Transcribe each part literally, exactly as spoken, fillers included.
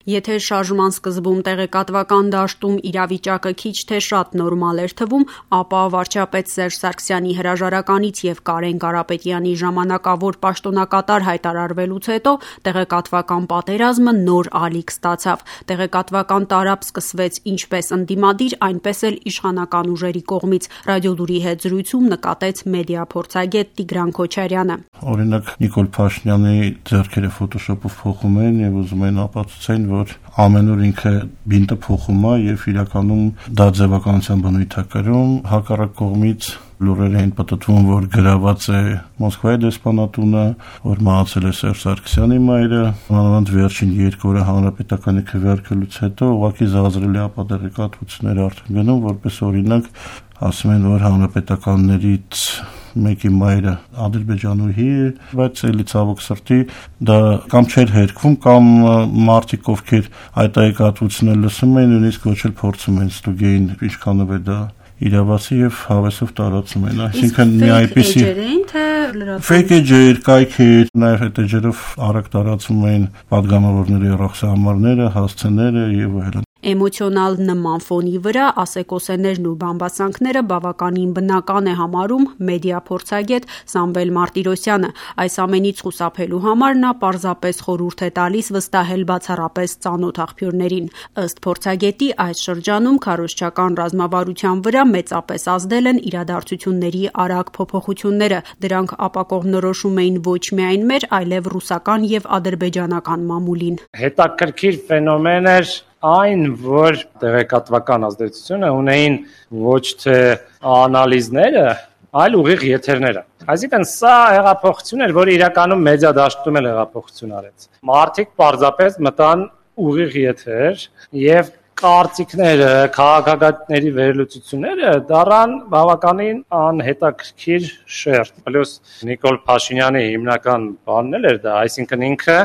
Եթե շարժման սկզբում տեղեկատվական դաշտում իրավիճակը քիչ թե շատ նորմալ էր թվում, ապա վարչապետ Սերժ Սարգսյանի հրաժարականից եւ Կարեն Կարապետյանի ժամանակավոր պաշտոնակատար հայտարարվելուց հետո տեղեկատվական պատերազմը նոր ալիք ստացավ։ Տեղեկատվական տարապ սկսվեց ինչպես ընդդիմադիր, այնպես էլ իշխանական ուժերի կողմից։ Ռադիոլուրի հետ զրույցում նկատեց մեդիա փորձագետ Տիգրան Քոչարյանը։ Օրինակ Նիկոլ Փաշինյանի ձեռքերը ֆոտոշոպով փոխում են եւ ուզում են ապացուցեն, որ ամեն օր ինքը բինտը փոխում է եւ իրականում դա ձևականության բնույթ է կրում։ Հակառակ կողմից լուրերը են պատտվում, որ գրաված է Մոսկվայի դեսպանատունը, որ մահացել է Սերժ Սարգսյանի մայրը։ Մանավանդ վերջին երկու օրը հանրապետականի քվեարկելուց հետո ուղղակի զազրելի ապատեղեկատվություններ արդեն գնում, որպես օրինակ ասում են, որ հանրապետականներից մեկի մայրը ադրբեջանուհի է, բայց էլի ցավոք սրտի դա կամ չէր հերկվում, կամ մարդիկ, ովքեր այդ տեղեկատվությունը լսում են, նույնիսկ ոչ էլ փորձում են ստուգեին ինչքանով է դա իրավացի եւ հավեսով տարածում են, այսինքն մի այդպիսի fake էջեր, կայքեր, նաեւ այդ էջերով արագ տարածում են падգամավորների ռախսահամարները, հասցեները եւ այլն։ Էմոցիոնալ նման ֆոնի վրա ասեկոսեներն ու բամբասանքները բավականին բնական է համարում մեդիա փորձագետ Սամվել Մարտիրոսյանը։ Այս ամենից խուսափելու համար նա պարզապես խորհուրդ է տալիս վստահել բացառապես ծանոթ աղբյուրներին։ Ըստ փորձագետի, այս շրջանում քարոզչական ռազմավարության վրա մեծապես ազդել են իրադարձությունների արագ փոփոխությունները։ Դրանք ապակողմնորոշում էին ոչ միայն մեր, այլև ռուսական եւ ադրբեջանական մամուլին։ Հետաքրքիր ֆենոմեն էր այն, որ տեղեկատվական ազդեցությունը ունեին ոչ թե անալիզները, այլ ուղիղ եթերները։ Այսինքն սա հեղափոխություն էր, որը իրականում մեդիա դաշտում էլ հեղափոխություն արեց։ Մարդիկ պարզապես մտան ուղիղ եթեր եւ կարծիքները, քաղաքագետների վերլուծությունները դառան բավականին անհետաքրքիր շերտ։ Պլյուս Նիկոլ Փաշինյանի հիմնական բանն էլ էր դա, այսինքն ինքը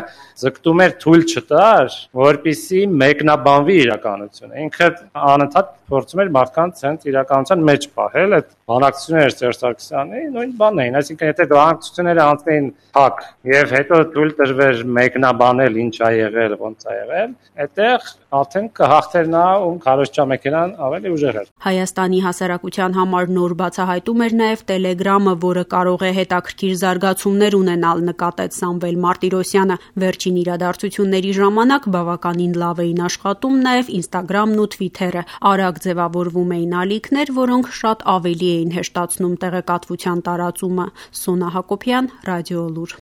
ձգտում էր թույլ չտար, որպեսզի մեկնաբանվի իրականությունը։ Ինքը անընդհատ փորձում էր մարդկանց հենց իրականության մեջ պահել, այդ բանակցությունները Սերժ Սարգսյանի նույն բանն էին, այսինքն եթե բանակցությունները անցնեին փակ եւ հետո թույլ տրվեր մեկնաբանել ինչ ա եղել, ոնց ա եղել, այդտեղ արդեն կհաղթեր նա ում քարոզչամեքենան ավելի ուժեղ էր։ Հայաստանի հասարակության համար նոր բացահայտում էր նաև Տելեգրամը, որը կարող է հետաքրքիր զարգացումներ ունենալ, նկատեց Սամվել Մարտիրոսյանը։ Վերջին իրադարձությունների ժամանակ բավականին լավ էին աշխատում նաև Ինստագրամն ու Թվիթերը։ Արագ ձևավորվում էին ալիքներ, որոնք շատ ավելի էին հեշտացնում տեղեկատվության տարածումը։ Սոնա Հակոբյան, Ռադիոլուր։